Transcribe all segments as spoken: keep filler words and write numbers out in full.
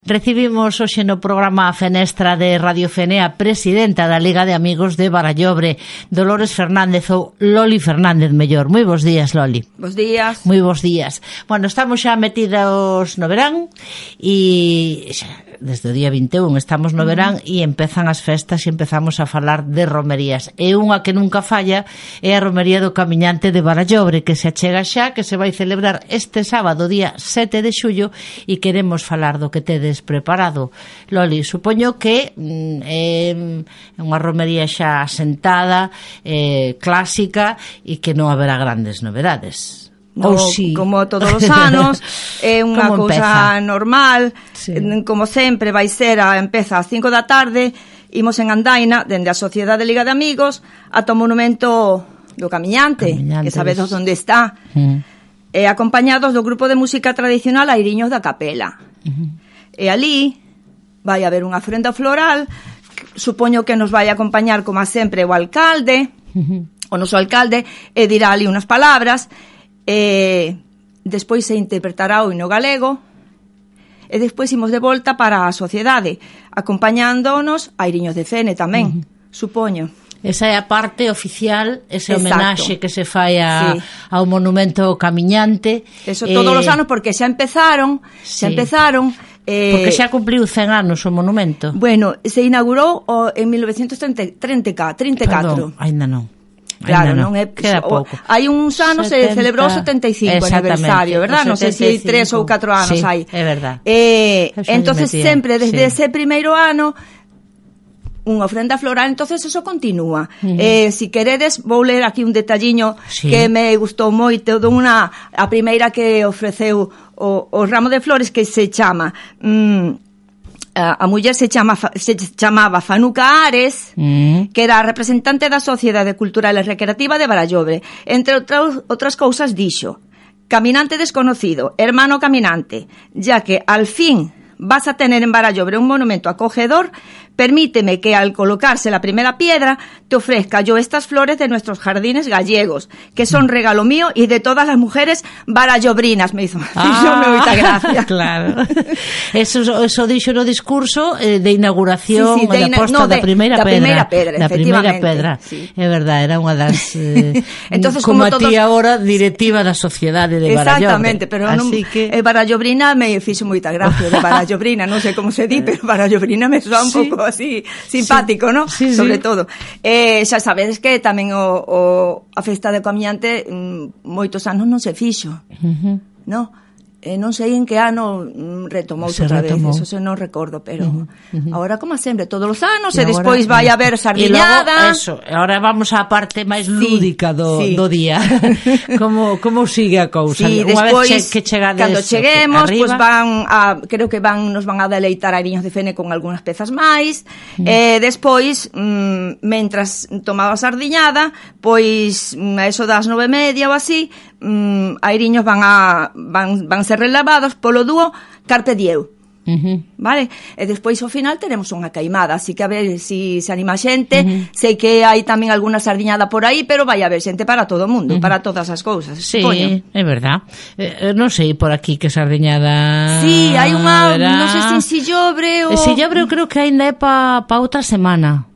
Recibimos hoxe no programa a Fenestra de Radio Fene a presidenta da Liga de Amigos de Barallobre, Dolores Fernández ou Loli Fernández mellor. Moi bons días, Loli. Bos días. Moi bos días. Bueno, estamos xa metidos no verán e xa desde o día vinte e un estamos no verán e empezan as festas e empezamos a falar de romerías. E unha que nunca falla é a romería do Camiñante de Barallobre, que se achega xa, que se vai celebrar este sábado, día sete de xullo, e queremos falar do que tedes preparado. Loli, supoño que mm, é unha romería xa asentada, eh, clásica, e que non haberá grandes novedades. No, sí. Como todos os anos, é unha cousa normal, sí. Como sempre vai ser, a empeza ás cinco da tarde, imos en andaina, dende a Sociedade de Liga de Amigos, ata o monumento do Camiñante, Camiñantes. Que sabedos onde está, mm. e acompañados do grupo de música tradicional Airiños da Capela. Uh-huh. E ali vai haber unha ofrenda floral, supoño que nos vai acompañar, como sempre, o alcalde, uh-huh. o noso alcalde, e dirá ali unhas palabras. E despois se interpretará o hino galego e despois imos de volta para a sociedade acompañándonos a Airiños de Fene tamén, uh-huh. supoño. Esa é a parte oficial, ese homenaxe que se fai a, sí. ao monumento Camiñante. Eso todos eh, os anos, porque xa empezaron, sí. xa empezaron... Eh, porque xa cumpliu cen anos o monumento. Bueno, se inaugurou o, en mil novecientos treinta e catro. Perdón, ainda non. Claro, no, non é queda pouco. Hai uns anos se celebrou o setenta e cinco aniversario, verdad? Non sei se hai tres ou catro anos sí, hai. É verdad. Eh, entonces sempre desde sí. ese primeiro ano unha ofrenda floral, entonces eso continúa. Uh-huh. Eh, si queredes, vou ler aquí un detalliño sí. que me gustou moito de unha a primeira que ofreceu o, o ramo de flores, que se chama mm, a muller se, chama, se chamaba Fanuca Ares, mm. que era a representante da Sociedade Cultural e Recreativa de Barallobre. Entre outras, outras cousas dixo: caminante desconocido, hermano caminante, ya que al fin vas a tener en Barallobre un monumento acogedor, permíteme que al colocarse la primera piedra te ofrezca yo estas flores de nuestros jardines gallegos, que son regalo mío y de todas las mujeres barallobrinas. Me hizo, ah, me moita gracia. Claro. Eso, eso dixo no discurso eh, de inauguración, sí, sí, de da posta no, de, da primeira pedra. Da primeira pedra, da primeira pedra. Sí. É verdade, era unha das eh, entonces, como, como a todos... ti agora directiva da Sociedade de Barallobre. Exactamente, pero non, que... eh, barallobrina me fixo moita gracia, de barallobrina, non sei como se di, pero barallobrina me soa un sí. pouco así simpático, sí. ¿no? Sí, sobre sí. todo. Eh, xa sabedes que tamén o, o a festa de Camiñante mm, moitos anos non se fixo. Uh-huh. No? Eh, non sei en que ano mm, retomouse outra vez, eso se non recordo, pero uh-huh. Uh-huh. agora como sempre, todos os anos e, e despois vai haber sardiñada. E logo, eso, agora vamos á parte máis sí, lúdica do, sí. do día. como como sigue a cousa? Sí, unha despois, vez che, que chegades cando cheguemos, pois pues van a, creo que van nos van a deleitar a Airiños de Fene con algunhas pezas máis. Uh-huh. Eh, despois, mm, mentras tomaba a sardiñada, pois a eso das nove e media ou así, mm, Airiños van a van van ser relavados polo dúo Carpe Dieu. Uh-huh. Vale? E despois ao final teremos unha caimada, así que a ver si se anima a xente. Uh-huh. Sei que hai tamén alguna sardiñada por aí, pero vai haber xente para todo o mundo, uh-huh. para todas as cousas. Sí, supoño. É verdad. Eh, non sei por aquí que sardiñada. Sí, hai unha, non sei se en Sillobre ou Sillobre eu creo que aínda é pa pa outra semana.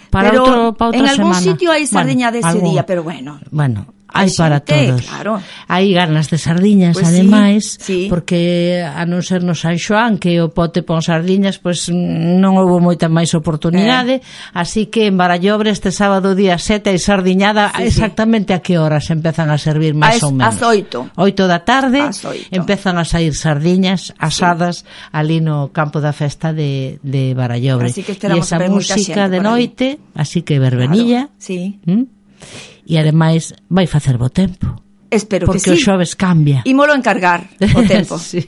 Para pero outro pa outra en algún semana. Sitio hai sardiñada bueno, ese algún... día, pero bueno. Bueno, hai para todos. Claro. Hai ganas de sardiñas, pues ademais, sí, sí. porque a non ser no San Xoán, que o pote pon sardiñas, pois pues, non houve moita máis oportunidade, eh. así que en Barallobre este sábado día sete hai sardiñada, sí, exactamente sí. a que horas empezan a servir máis ou menos? As oito. Oito da tarde, oito. Empezan a sair sardiñas asadas sí. ali no campo da festa de, de Barallobre. Así que e esa música de noite, así que verbenilla, claro. sí. ¿Mm? E ademais vai facer bo tempo. Espero porque que sí. Porque o xoves cambia. Ímolo encargar o tempo. sí.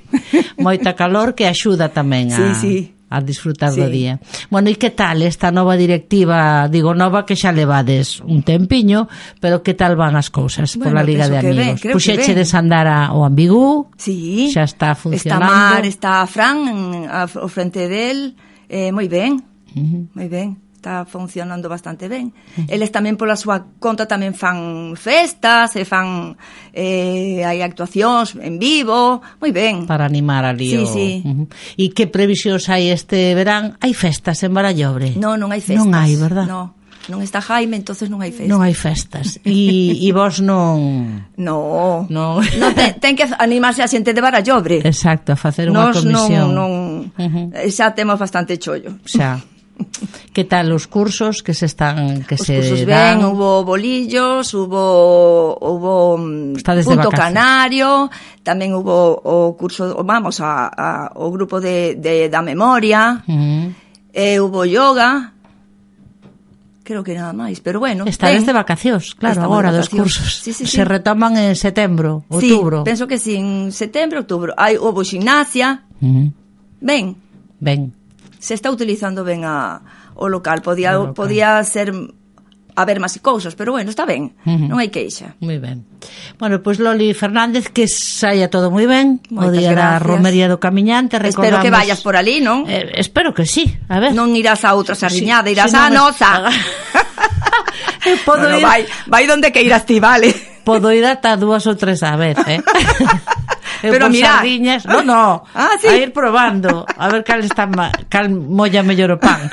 Moita calor que axuda tamén a, sí, sí. a disfrutar sí. do día. Bueno, e que tal esta nova directiva? Digo nova que xa levades un tempiño, pero que tal van as cousas bueno, pola Liga de Amigos? Puxeche de andar ao Ambigú, sí. xa está funcionando. Está Mar, está Fran ao frente del, eh, moi ben, uh-huh. moi ben. está funcionando bastante ben. Eles tamén pola súa conta tamén fan festas, e fan eh, hai actuacións en vivo, moi ben. Para animar ali. Sí, o... sí. Uh-huh. E que previsións hai este verán? Hai festas en Barallobre? Non, non hai festas. Non hai, verdad? Non. Non está Jaime, entonces non hai festas. Non hai festas. E, e vos non... No. Non. No ten, ten que animarse a xente de Barallobre. Exacto, a facer unha Nos comisión. non, non, uh-huh. Xa temos bastante chollo. Xa. Que tal os cursos que se están que os se cursos dan? ben, hubo bolillos, hubo hubo punto canario, tamén hubo o curso, vamos a, a o grupo de, de da memoria. Uh-huh. E hubo yoga. Creo que nada máis, pero bueno. Estades de vacacións, claro, Estamos agora dos cursos. Sí, sí, se sí. retoman en setembro, outubro. Sí, penso que sí, en setembro, outubro. Hai houve gimnasia. Uh-huh. Ben. Ben. Se está utilizando ben a, o local. Podía, o local. Podía ser haber máis cousas, pero bueno, está ben. Uh-huh. Non hai queixa. Moi ben. Bueno, pois pues Loli Fernández, que saia todo moi ben. Moitas o día gracias. Da Romería do Camiñante. Espero que vayas por ali, non? Eh, espero que sí, a ver. Non irás a outra sardiñada, sí, irás si a no nosa. Me... Podo no, no, ir... vai, vai donde que irás ti, vale. Podo ir ata dúas ou tres a vez, eh? Pero mira, sardiñas, no, no, ah, ¿sí? A ir probando, a ver cal está ma... cal molla mellor o pan.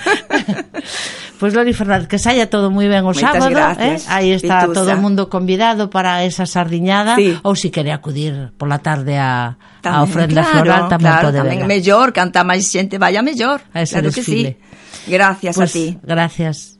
Pois pues, Loli Fernández, que saia todo moi ben o Moitas sábado, gracias, eh? Aí está Pitusa. Todo o mundo convidado para esa sardiñada, sí. Ou se quere acudir pola tarde a, tamén, a ofrenda claro, floral, tamén claro, pode tamén verla. mellor, canta máis xente, vaya mellor. A ese claro desfile. que sí. Gracias pues, a ti. Gracias.